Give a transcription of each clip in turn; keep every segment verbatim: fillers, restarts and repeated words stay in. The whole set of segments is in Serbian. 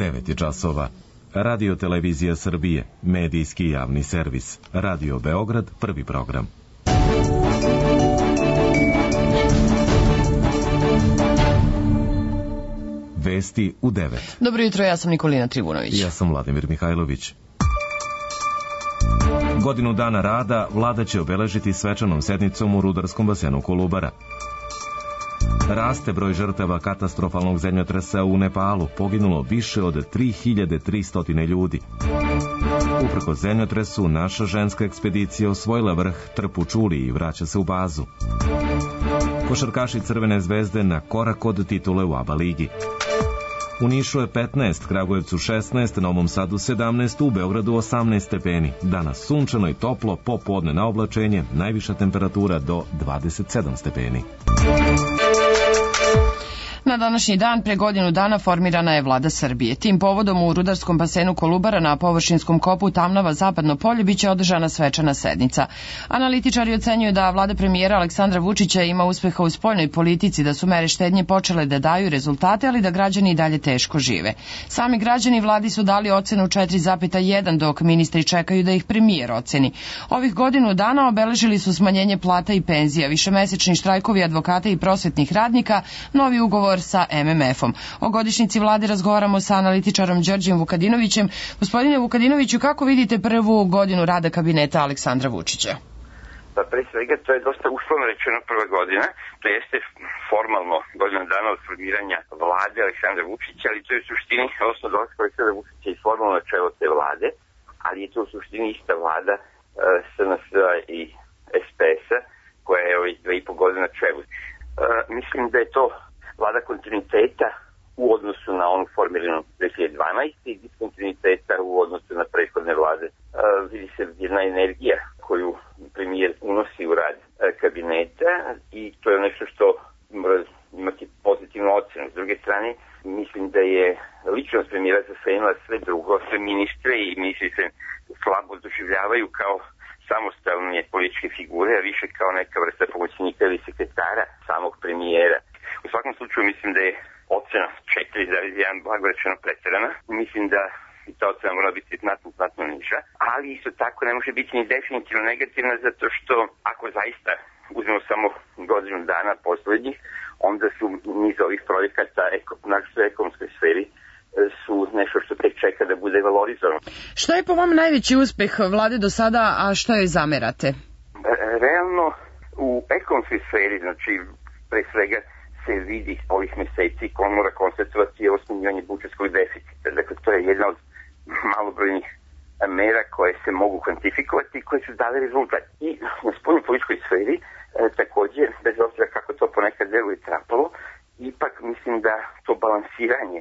devet je časova. Radio Televizija Srbije, medijski javni servis. Radio Beograd, prvi program. Vesti u devet. Dobro jutro, ja sam Nikolina Trivunović. Ja sam Vladimir Mihajlović. Godinu dana rada vlada će obeležiti svečanom sednicom u rudarskom basenu Kolubara. Raste broj žrtava katastrofalnog zemljotresa u Nepalu, poginulo više od tri hiljade tristo ljudi. Uprkos zemljotresu, naša ženska ekspedicija osvojila vrh Trpu Čuli i vraća se u bazu. Košarkaši Crvene zvezde na korak od titule u ABA ligi. U Nišu je petnaest, Kragujevcu šesnaest, Novom Sadu sedamnaest, u Beogradu osamnaest stepeni. Danas sunčano i toplo, popodne na oblačenje, najviša temperatura do dvadeset sedam stepeni. Na današnji dan pre godinu dana formirana je vlada Srbije. Tim povodom u rudarskom basenu Kolubara na površinskom kopu Tamnava Zapadno polje biće održana svečana sednica. Analitičari ocenjuju da vlada premijera Aleksandra Vučića ima uspeha u spoljnoj politici, da su mere štednje počele da daju rezultate, ali da građani i dalje teško žive. Sami građani vladi su dali ocenu četiri zarez jedan, dok ministri čekaju da ih premijer oceni. Ovih godinu dana obeležili su smanjenje plata i penzija, višemesečni štrajkovi advokata i prosvetnih radnika, novi ugovor sa em em efom. O godišnjici vlade razgovaramo sa analitičarom Đorđem Vukadinovićem. Gospodine Vukadinoviću, kako vidite prvu godinu rada kabineta Aleksandra Vučića? Pa pre svega to je dosta uslovno rečeno prva godina, to jeste formalno godina dana od formiranja vlade Aleksandra Vučića, ali to je u suštini, odnosno dolaska Aleksandra Vučića i formalno načelo te vlade, ali je to u suštini ista vlada uh, es en es i es pe es-a koja je ovih dve i po godine na čelu. Uh, mislim da je to vlada kontinuiteta u odnosu na onu formiranu dve hiljade dvanaeste. i diskontinuiteta u odnosu na prethodne vlade. E, vidi se jedna energija koju premijer unosi u rad e, kabineta i to je nešto što mora imati pozitivnu ocenu. S druge strane, mislim da je ličnost premijera zasenila sve drugo, sve ministre i ministri se slabo doživljavaju kao samostalne političke figure, a više kao neka vrsta pomoćnika ili sekretara samog premijera. U svakom slučaju mislim da je ocena četiri zarez jedan blago rečeno preterana. Mislim da i ta ocena mora biti znatno, znatno niža, ali isto tako ne može biti ni definitivno negativna, zato što ako zaista uzmemo samo godinu dana poslednjih, onda su niz ovih projekata na ekonomskoj sferi su nešto što tek čeka da bude valorizovano. Šta je po vam najveći uspeh vlade do sada, a što je zamerate? Realno, u ekonomskoj sferi, znači pre svega se vidi ovih meseci ko on mora konstatovati je smanjivanje budžetskog deficita. Dakle, to je jedna od malobrojnih mera koje se mogu kvantifikovati i koje su dale rezultat. I na spoljnoj političkoj sferi e, takođe, bez obzira kako to ponekad deluje trapalo, ipak mislim da to balansiranje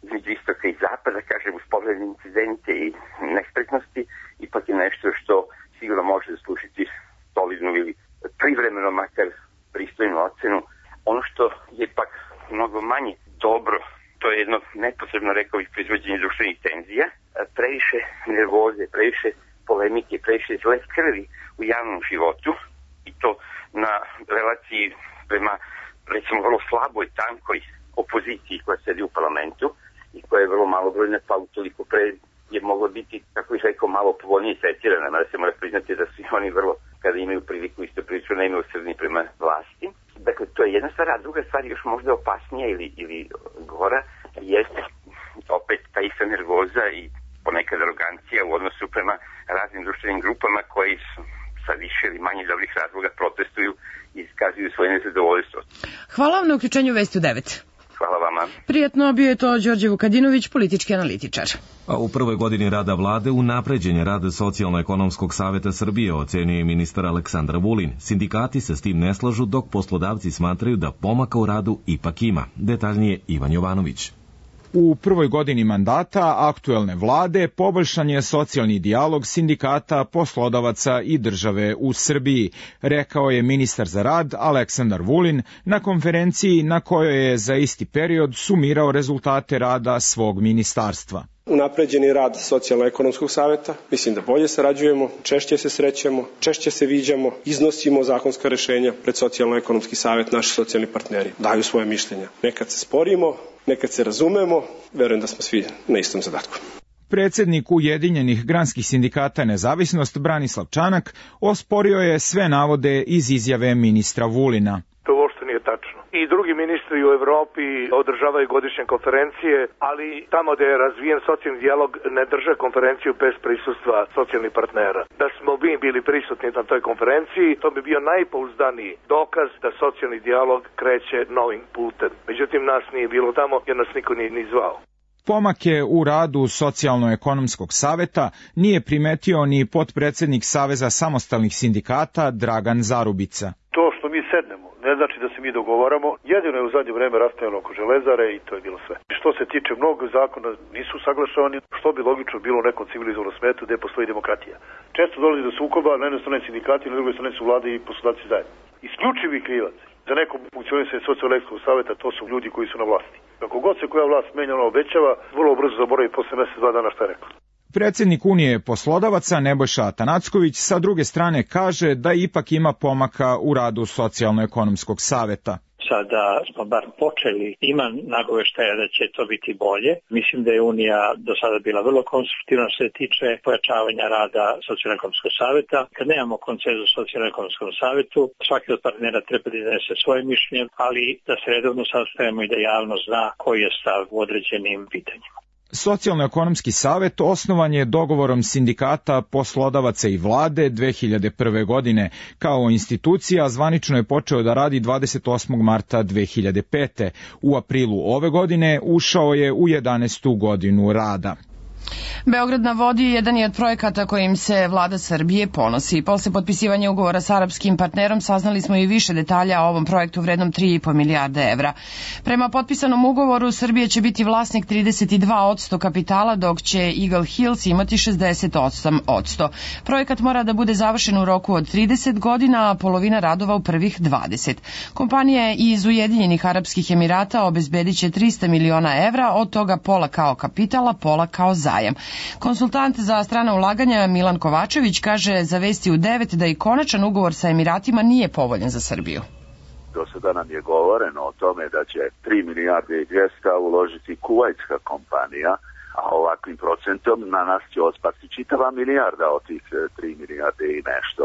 između istoka i zapada, kažem, uz pogledne incidente i nespretnosti, ipak je nešto što sigurno može zaslužiti solidnu ili privremeno makar pristojnu ocenu. Ono što je pak mnogo manje dobro, to je jedno neposredno, rekao bih, proizvođenje društvenih tenzija, previše nervoze, previše polemike, previše zle krvi u javnom životu i to na relaciji prema, recimo, vrlo slaboj, tankoj opoziciji koja sedi u parlamentu i koja je vrlo malobrojna, pa utoliko pre je moglo biti, kako bih rekao, malo povoljnije tretirana, mada se mora priznati da su oni vrlo, kada imaju priliku, isto prilično nemilosrdni prema vlasti. Dakle, to je jedna stvar, a druga stvar još možda opasnija ili, ili gora, jeste opet ta ista nervoza i ponekad arogancija u odnosu prema raznim društvenim grupama koji su sa više ili manje dobrih razloga protestuju i iskazuju svoje nezadovoljstvo. Hvala vam na uključenju Vesti u devet. Hvala vama. Prijatno, bio je to Đorđe Vukadinović, politički analitičar. A u prvoj godini rada vlade unapređenje rada Socijalno-ekonomskog saveta Srbije ocenio je ministar Aleksandar Vulin. Sindikati se s tim ne slažu, dok poslodavci smatraju da pomaka u radu ipak ima. Detaljnije Ivan Jovanović. U prvoj godini mandata aktuelne vlade poboljšan je socijalni dijalog sindikata, poslodavaca i države u Srbiji, rekao je ministar za rad Aleksandar Vulin na konferenciji na kojoj je za isti period sumirao rezultate rada svog ministarstva. Unapređen je rad Socijalno-ekonomskog saveta, mislim da bolje sarađujemo, češće se srećemo, češće se viđamo, iznosimo zakonska rešenja pred Socijalno-ekonomski savet, naši socijalni partneri daju svoje mišljenja. Nekad se sporimo, nekad se razumemo, verujem da smo svi na istom zadatku. Predsednik Ujedinjenih granskih sindikata Nezavisnost Branislav Čanak osporio je sve navode iz izjave ministra Vulina. To uopšte nije tačno. I drugi ministri u Evropi održavaju godišnje konferencije, ali tamo gde je razvijen socijalni dijalog ne drže konferenciju bez prisustva socijalnih partnera. Da smo mi bili prisutni na toj konferenciji, to bi bio najpouzdaniji dokaz da socijalni dijalog kreće novim putem. Međutim, nas nije bilo tamo jer nas niko nije ni zvao. Pomake u radu Socijalno-ekonomskog saveta nije primetio ni potpredsednik Saveza samostalnih sindikata Dragan Zarubica. To što mi sednemo ne znači da se mi dogovaramo, jedino je u zadnje vreme rastajalo oko Železare i to je bilo sve. Što se tiče mnogo zakona nisu saglašavani, što bi logično bilo u nekom civilizovanom svetu gde postoji demokratija. Često dolazi do sukoba, na jednoj strani sindikati, na drugoj strani su vlade i poslodavci zajedno. Isključivi krivac za neko funkcionisanje Socijalno-ekonomskog saveta to su ljudi koji su na vlasti. Kako god se koja vlast menja, ona obećava, vrlo brzo zaboravi posle mesec dva dana šta je rekla. Predsednik Unije poslodavaca Nebojša Atanacković sa druge strane kaže da ipak ima pomaka u radu Socijalno-ekonomskog saveta. Sada smo bar počeli, ima nagoveštaja da će to biti bolje. Mislim da je Unija do sada bila vrlo konstruktivna što se tiče pojačavanja rada Socijalno-ekonomskog saveta. Kad nemamo konsenzus u Socijalno-ekonomskom savetu, svaki od partnera treba da iznese svoje mišljenje, ali da se redovno sastajemo i da javnost zna koji je stav u određenim pitanjima. Socijalno-ekonomski savet osnovan je dogovorom sindikata, poslodavaca i vlade dve hiljade prve. godine. Kao institucija zvanično je počeo da radi dvadeset osmog marta dve hiljade pete. U aprilu ove godine ušao je u jedanaestu godinu rada. Beograd na vodi jedan je od projekata kojim se vlada Srbije ponosi. Posle potpisivanja ugovora s arapskim partnerom saznali smo i više detalja o ovom projektu vrednom tri i po milijarde evra. Prema potpisanom ugovoru Srbija će biti vlasnik trideset dva posto kapitala, dok će Eagle Hills imati šezdeset osam posto. Projekat mora da bude završen u roku od trideset godina, a polovina radova u prvih dvadeset. Kompanija iz Ujedinjenih Arapskih Emirata obezbedit će trista miliona evra, od toga pola kao kapitala, pola kao zajam. Konsultant za strana ulaganja Milan Kovačević kaže za Vesti u devet da i konačan ugovor sa Emiratima nije povoljan za Srbiju. Do sada nam je govoreno o tome da će tri milijarde i dvesta uložiti kuvajtska kompanija, a ovakvim procentom na nas će otpasti čitava milijarda od tih tri milijarde i nešto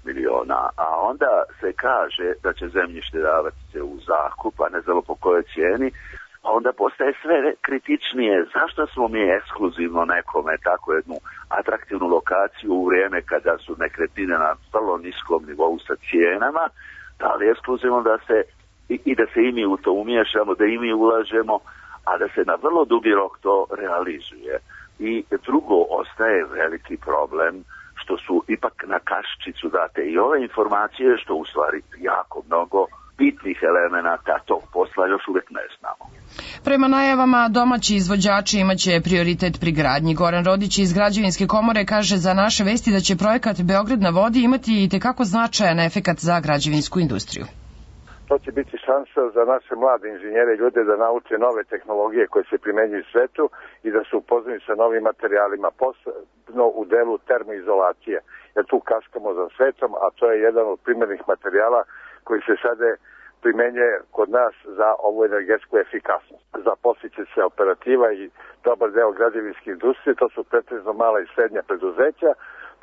miliona. A onda se kaže da će zemljište davati se u zakup, a ne znamo po kojoj cijeni, onda postaje sve kritičnije. Zašto smo mi ekskluzivno nekome tako jednu atraktivnu lokaciju u vrijeme kada su nekretnine na vrlo niskom nivou sa cijenama, da li ekskluzivno da se i, i da se i mi u to umiješamo, da i mi ulažemo, a da se na vrlo dugi rok to realizuje. I drugo, ostaje veliki problem što su ipak na kaščicu date i ove informacije, što u stvari jako mnogo bitnih elemenata tog posla još uvijek ne znamo. Prema najavama, domaći izvođači imaće prioritet pri gradnji. Goran Rodić iz Građevinske komore kaže za naše vesti da će projekat Beograd na vodi imati i tekako značajan efekat za građevinsku industriju. To će biti šansa za naše mlade inženjere i ljude da nauče nove tehnologije koje se primenjuju u svetu i da se upoznaju sa novim materijalima, posebno u delu termoizolacije, jer tu kaskamo za svetom, a to je jedan od primjernih materijala koji se sada primenjuje kod nas za ovu energetsku efikasnost. Zaposliće se operativa i dobar deo građevinske industrije, to su pretežno mala i srednja preduzeća,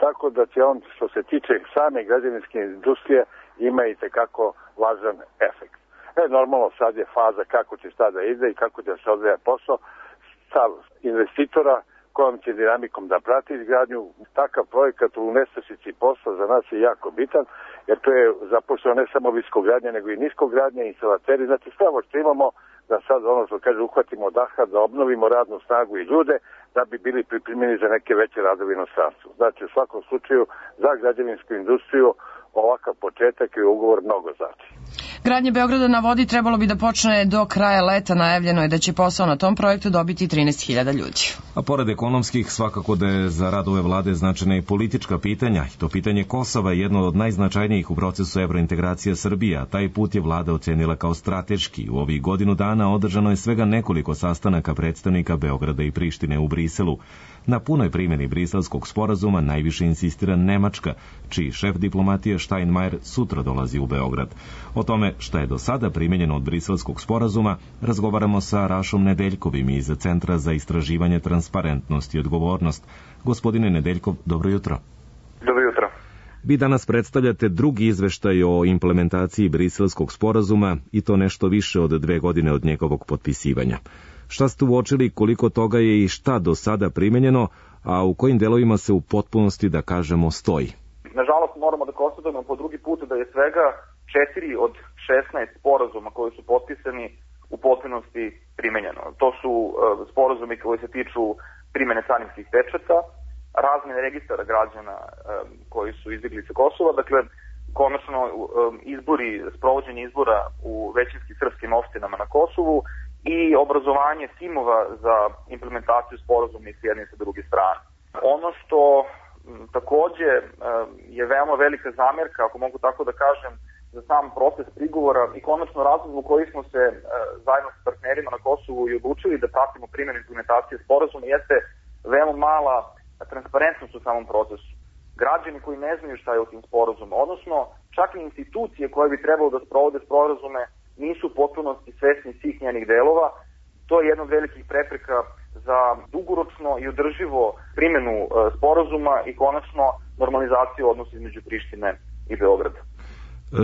tako da će on, što se tiče same građevinske industrije, ima i tekako važan efekt. E, normalno sad je faza kako će šta da ide i kako će se odvija posao sa investitora kojom će dinamikom da prati izgradnju. Takav projekat u nestašici posla za nas je jako bitan, jer to je zaposleno ne samo viskogradnja, nego i niskogradnja, instalateri. Znači sve ovo što imamo da sad ono što kaže uhvatimo daha, da obnovimo radnu snagu i ljude da bi bili pripremljeni za neke veće radove inostranstvu. Znači u svakom slučaju za građevinsku industriju ovakav početak i ugovor mnogo znači. Gradnje Beograda na vodi trebalo bi da počne do kraja leta, najavljeno je da će posao na tom projektu dobiti trinaest hiljada ljudi. A pored ekonomskih, svakako da je za rad ove vlade značajna i politička pitanja. I to pitanje Kosova je jedno od najznačajnijih u procesu evrointegracije Srbije, a taj put je vlada ocenila kao strateški. U ovih godinu dana održano je svega nekoliko sastanaka predstavnika Beograda i Prištine u Briselu. Na punoj primjeni briselskog sporazuma najviše insistira Nemačka, čiji šef diplomatije Steinmeier sutra dolazi u Beograd. O tome šta je do sada primjenjeno od briselskog sporazuma razgovaramo sa Rašom Nedeljkovim iz Centra za istraživanje transparentnost i odgovornost. Gospodine Nedeljkov, dobro jutro. Dobro jutro. Vi danas predstavljate drugi izveštaj o implementaciji briselskog sporazuma i to nešto više od dve godine od njegovog potpisivanja. Šta ste uočili, koliko toga je i šta do sada primenjeno, a u kojim delovima se u potpunosti, da kažemo, stoji? Nažalost, moramo da konstatujemo po drugi put da je svega četiri od šesnaest sporazuma koji su potpisani u potpunosti primenjeno. To su uh, sporazumi koji se tiču primene carinskih pečata, razmene registara građana um, koji su izbjegli sa Kosova, dakle, konačno um, izbori, sprovođenje izbora u većinskim srpskim opštinama na Kosovu i obrazovanje timova za implementaciju sporazuma i s jedne i sa druge strane. Ono što m, takođe um, je veoma velika zamjerka, ako mogu tako da kažem, za sam proces prigovora i konačno razlog u koji smo se uh, zajedno sa partnerima na Kosovu i odlučili da pratimo primjenu implementacije sporazuma jeste veoma mala transparentnost u samom procesu. Građani koji ne znaju šta je u tim sporazumom, odnosno čak i institucije koje bi trebalo da sprovode sporazume nisu u potpunosti svesni svih njenih delova. To je jedna od velikih prepreka za dugoročno i održivo primjenu e, sporazuma i konačno normalizaciju odnosa između Prištine i Beograda.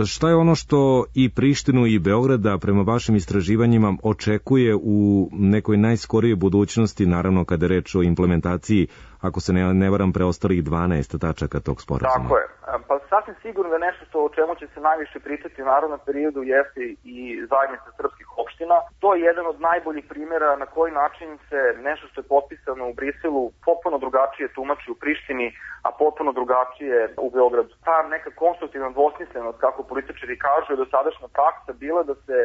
Šta je ono što i Prištinu i Beograda prema vašim istraživanjima očekuje u nekoj najskorijoj budućnosti, naravno kada je reč o implementaciji, ako se ne, ne varam, preostalih dvanaest tačaka tog sporazuma? Tako je. Pa sasvim sigurno da nešto što, o čemu će se najviše pričati u narednom periodu jeste i zajednica srpskih opština. To je jedan od najboljih primjera na koji način se nešto što je potpisano u Briselu potpuno drugačije tumači u Prištini, a potpuno drugačije u Beogradu. Ta neka konstruktivna dvosmislenost, kako političari kažu, je dosadašnja praksa bila da se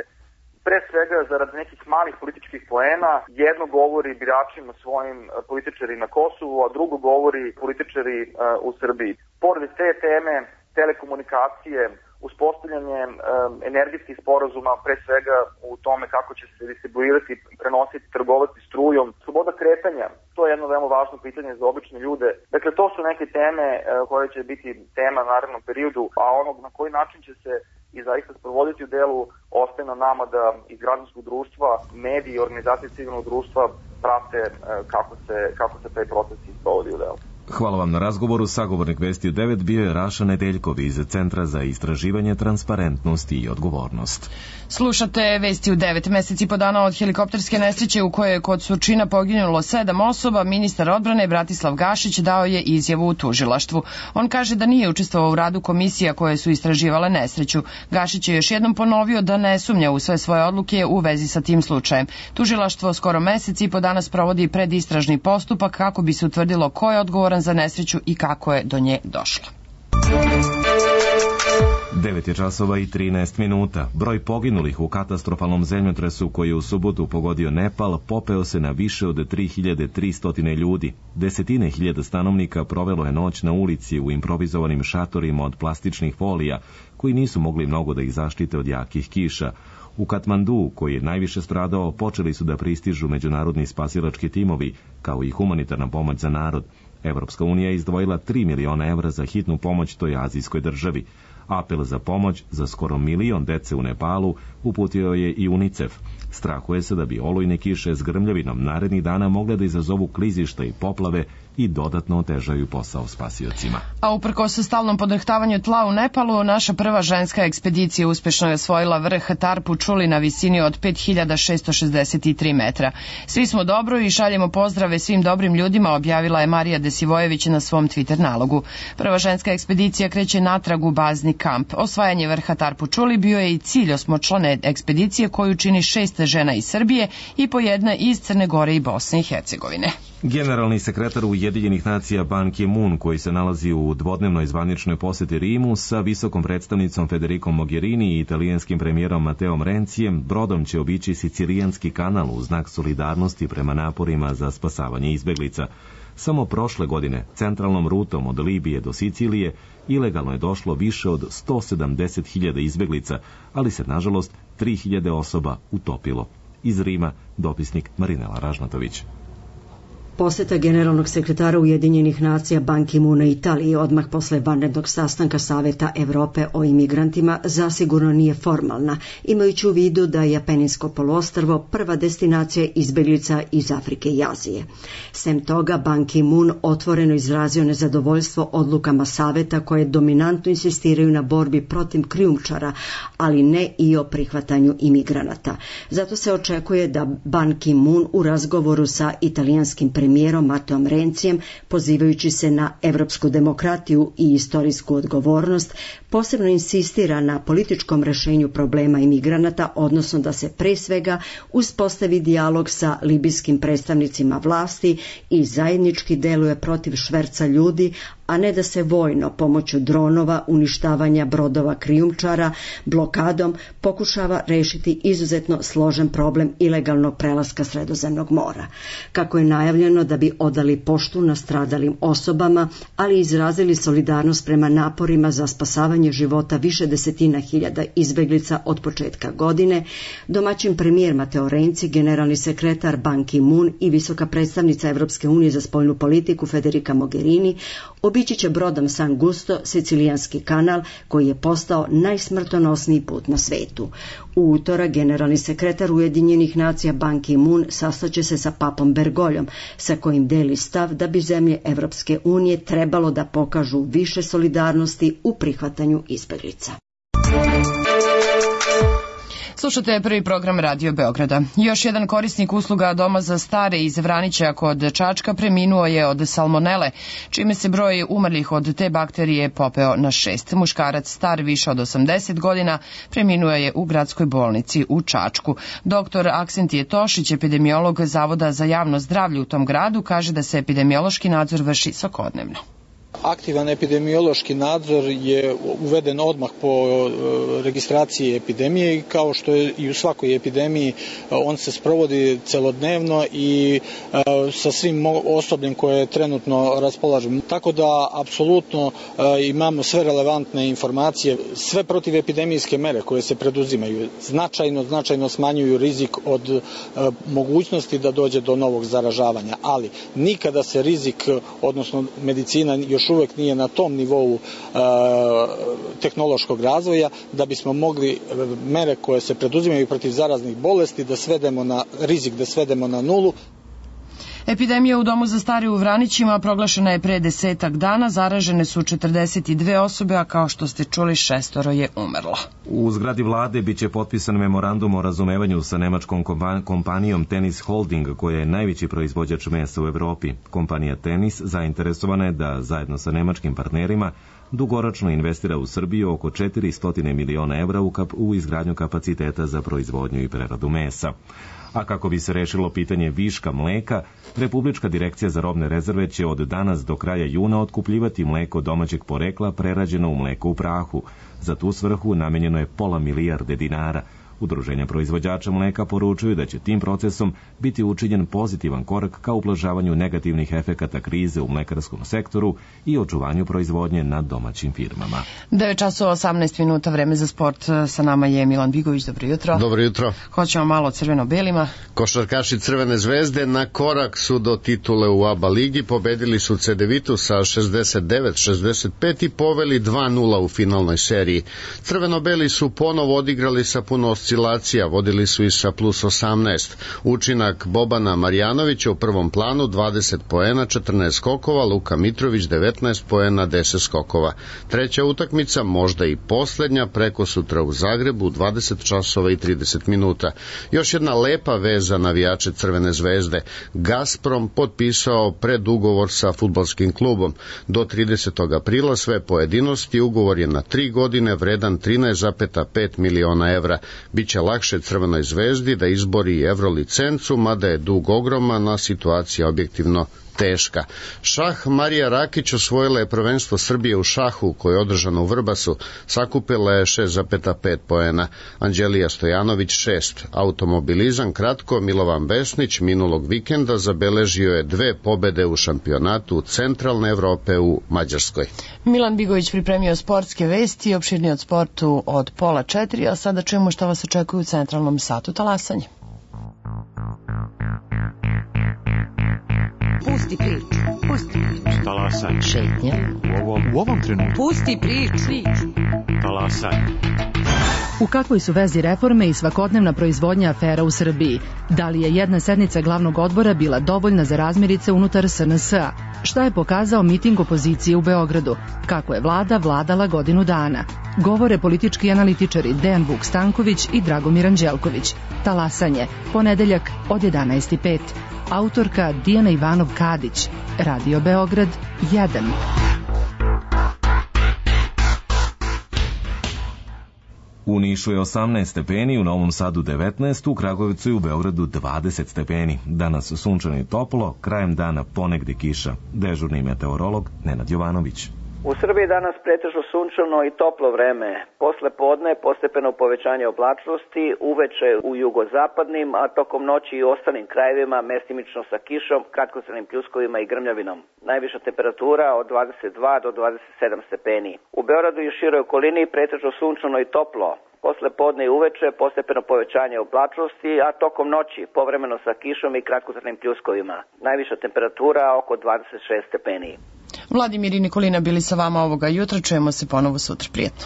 pre svega zarad nekih malih političkih poena jedno govori biračima svojim političari na Kosovu, a drugo govori političari uh, u Srbiji. Pored te teme telekomunikacije, uspostavljanje um, energetskih sporazuma, pre svega u tome kako će se distribuirati, prenositi, trgovati strujom, sloboda kretanja, to je jedno veoma važno pitanje za obične ljude. Dakle, to su neke teme uh, koje će biti tema u narednom periodu, a onog na koji način će se i zaista sprovoditi u delu ostaje na nama da iz građanskog društva, mediji i organizacije civilnog društva prate kako se, kako se taj proces sprovodi u delu. Hvala vam na razgovoru. Sagovornik Vesti u devet bio je Raša Nedeljkov iz Centra za istraživanje transparentnosti i odgovornost. Slušate Vesti u devet. Meseci po dana od helikopterske nesreće u kojoj je kod Surčina poginulo sedam osoba, ministar odbrane Bratislav Gašić dao je izjavu u tužilaštvu. On kaže da nije učestvovao u radu komisija koje su istraživale nesreću. Gašić je još jednom ponovio da ne sumnja u sve svoje odluke u vezi sa tim slučajem. Tužilaštvo skoro meseci po dana sprovodi predistražni postupak kako bi se utvrdilo ko je odgovoran za nesreću i kako je do nje došlo. devet je časova i trinaest minuta. Broj poginulih u katastrofalnom zemljotresu koji je u subotu pogodio Nepal popeo se na više od tri hiljade tristo ljudi. Desetine hiljada stanovnika provelo je noć na ulici u improvizovanim šatorima od plastičnih folija koji nisu mogli mnogo da ih zaštite od jakih kiša. U Katmandu, koji je najviše stradao, počeli su da pristižu međunarodni spasilački timovi, kao i humanitarna pomoć za narod. Evropska unija je izdvojila tri miliona evra za hitnu pomoć toj azijskoj državi. Apel za pomoć za skoro milion dece u Nepalu uputio je i UNICEF. Strahuje se da bi olujne kiše s grmljavinom narednih dana mogle da izazovu klizišta i poplave i dodatno otežaju posao spasiocima. A uprkos stalnom podrhtavanju tla u Nepalu, naša prva ženska ekspedicija uspešno je osvojila vrh Tarpu Čuli na visini od pet hiljada šesto šezdeset tri metra. Svi smo dobro i šaljemo pozdrave svim dobrim ljudima, objavila je Marija Desivojević na svom Twitter nalogu. Prva ženska ekspedicija kreće natrag u bazni kamp. Osvajanje vrha Tarpu Čuli bio je i cilj osmočlane ekspedicije koju čini šest žena iz Srbije i po jedna iz Crne Gore i Bosne i Hercegovine. Generalni sekretar Ujedinjenih nacija Ban Ki-moon, koji se nalazi u dvodnevnoj zvaničnoj poseti Rimu sa visokom predstavnicom Federicom Mogherini i italijanskim premijerom Mateom Rencijem, brodom će obići Sicilijanski kanal u znak solidarnosti prema naporima za spasavanje izbeglica. Samo prošle godine, centralnom rutom od Libije do Sicilije, ilegalno je došlo više od sto sedamdeset hiljada izbeglica, ali se, nažalost, tri hiljade osoba utopilo. Iz Rima, dopisnik Marinela Ražnatović. Poseta generalnog sekretara Ujedinjenih nacija Ban Ki-moona Italiji odmah posle vanrednog sastanka Saveta Evrope o imigrantima zasigurno nije formalna, imajući u vidu da je Apeninsko poluostrvo prva destinacija izbeglica iz Afrike i Azije. Sem toga, Ban Ki-moon otvoreno izrazio nezadovoljstvo odlukama Saveta koje dominantno insistiraju na borbi protiv krijumčara, ali ne i o prihvatanju imigranata. Zato se očekuje da Ban Ki-moon u razgovoru sa italijanskim premijerom Mateom Rencijem, pozivajući se na evropsku demokratiju i istorijsku odgovornost, posebno insistira na političkom rešenju problema imigranata, odnosno da se pre svega uspostavi dijalog sa libijskim predstavnicima vlasti i zajednički deluje protiv šverca ljudi, a ne da se vojno pomoću dronova, uništavanja brodova krijumčara, blokadom pokušava rešiti izuzetno složen problem ilegalnog prelaska Sredozemnog mora. Kako je najavljeno da bi odali poštu nastradalim osobama, ali izrazili solidarnost prema naporima za spasavanje života više desetina hiljada izbeglica od početka godine, domaćin premijer Mateo Renci, generalni sekretar Ban Ki-moon i visoka predstavnica Evropske unije za spoljnu politiku Federica Mogherini obići će brodom San Gusto Sicilijanski kanal, koji je postao najsmrtonosniji put na svetu. U utorak generalni sekretar Ujedinjenih nacija Ban Ki-moon sastaće se sa papom Bergoljom, sa kojim deli stav da bi zemlje Evropske unije trebalo da pokažu više solidarnosti u prihvatanju izbeglica. Slušate prvi program Radio Beograda. Još jedan korisnik usluga Doma za stare iz Vranića kod Čačka preminuo je od salmonele, čime se broj umrlih od te bakterije popeo na šest. Muškarac star više od osamdeset godina preminuo je u gradskoj bolnici u Čačku. Doktor Aksentije Tošić, epidemiolog Zavoda za javno zdravlje u tom gradu, kaže da se epidemiološki nadzor vrši svakodnevno. Aktivan epidemiološki nadzor je uveden odmah po registraciji epidemije i kao što je i u svakoj epidemiji on se sprovodi celodnevno i sa svim osobljem koje trenutno raspolažemo. Tako da apsolutno imamo sve relevantne informacije, sve protivepidemijske mere koje se preduzimaju značajno, značajno smanjuju rizik od mogućnosti da dođe do novog zaražavanja, ali nikada se rizik, odnosno medicina još uvek nije na tom nivou e, tehnološkog razvoja da bismo mogli mere koje se preduzimaju protiv zaraznih bolesti da svedemo na rizik, da svedemo na nulu. Epidemija u Domu za stare u Vranićima proglašena je pre desetak dana, zaražene su četrdeset dve osobe, a kao što ste čuli šestoro je umrlo. U zgradi vlade biće potpisan memorandum o razumevanju sa nemačkom kompanijom Tennis Holding, koja je najveći proizvođač mesa u Evropi. Kompanija Tennis zainteresovana je da zajedno sa nemačkim partnerima dugoročno investira u Srbiju oko četiristo miliona evra u, kap, u izgradnju kapaciteta za proizvodnju i preradu mesa. A kako bi se rešilo pitanje viška mleka, Republička direkcija za robne rezerve će od danas do kraja juna otkupljivati mleko domaćeg porekla prerađeno u mleko u prahu. Za tu svrhu namenjeno je pola milijarde dinara. Udruženja proizvođača mleka poručuju da će tim procesom biti učinjen pozitivan korak ka ublažavanju negativnih efekata krize u mlekarskom sektoru i očuvanju proizvodnje na domaćim firmama. devet časova osamnaest minuta, vreme za sport. Sa nama je Milan Bigović. Dobro jutro. Dobro jutro. Hoćemo malo o crveno-belima. Košarkaši Crvene zvezde na korak su do titule u A B A ligi, pobedili su Cedevitu sa šezdeset devet šezdeset pet i poveli dva nula u finalnoj seriji. Crveno-beli su ponovo odigrali sa puno oscilacija, vodili su i sa plus osamnaest. Učinak Bobana Marjanovića u prvom planu dvadeset poena, četrnaest skokova, Luka Mitrović devetnaest poena, deset skokova. Treća utakmica, možda i poslednja, preko sutra u Zagrebu, dvadeset časova i trideset minuta. Još jedna lepa vez za navijače Crvene zvezde. Gazprom potpisao predugovor sa fudbalskim klubom. Do tridesetog aprila sve pojedinosti, ugovor je na tri godine vredan trinaest zarez pet miliona evra. biće lakše Crvenoj zvezdi da izbori Evro licencu, mada je dug ogroman, a situacija objektivno teška. Šah Marija Rakić osvojila je prvenstvo Srbije u šahu koje je održano u Vrbasu, sakupila je šest zarez pet poena. Anđelija Stojanović šest. Automobilizam kratko, Milovan Besnić minulog vikenda zabeležio je dve pobede u šampionatu Centralne Evrope u Mađarskoj. Milan Bigović pripremio sportske vesti, opširni od sportu od pola četiri, a sada čujemo šta vas očekuje u centralnom satu talasanje. Pusti priču, pusti priču. Talasanje. Šetnja. U ovom, u ovom trenutku. Pusti priču. Talasanje. U kakvoj su vezi reforme i svakodnevna proizvodnja afera u Srbiji? Da li je jedna sednica glavnog odbora bila dovoljna za razmirice unutar S N S-a? Šta je pokazao miting opozicije u Beogradu? Kako je vlada vladala godinu dana? Govore politički analitičari Dejan Vuk Stanković i Dragomir Anđelković. Talasanje, ponedeljak od jedanaest i pet. Autorka Dijana Ivanov-Kadić. Radio Beograd jedan. U Nišu je osamnaest stepeni, u Novom Sadu devetnaest, u Kragujevcu i u Beogradu dvadeset stepeni. Danas sunčano i toplo, krajem dana ponegde kiša. Dežurni meteorolog Nenad Jovanović. U Srbiji danas pretežno sunčano i toplo vreme. Posle podne postepeno povećanje oblačnosti, uveče u jugozapadnim, a tokom noći i u ostalim krajevima mestimično sa kišom, kratkotrajnim pljuskovima i grmljavinom. Najviša temperatura od dvadeset dva do dvadeset sedam stepeni. U Beogradu i široj okolini pretežno sunčano i toplo. Posle podne i uveče postepeno povećanje oblačnosti, a tokom noći povremeno sa kišom i kratkotrajnim pljuskovima. Najviša temperatura oko dvadeset šest stepeni. Vladimir i Nikolina bili sa vama ovoga jutra, čujemo se ponovo sutra. Prijetno.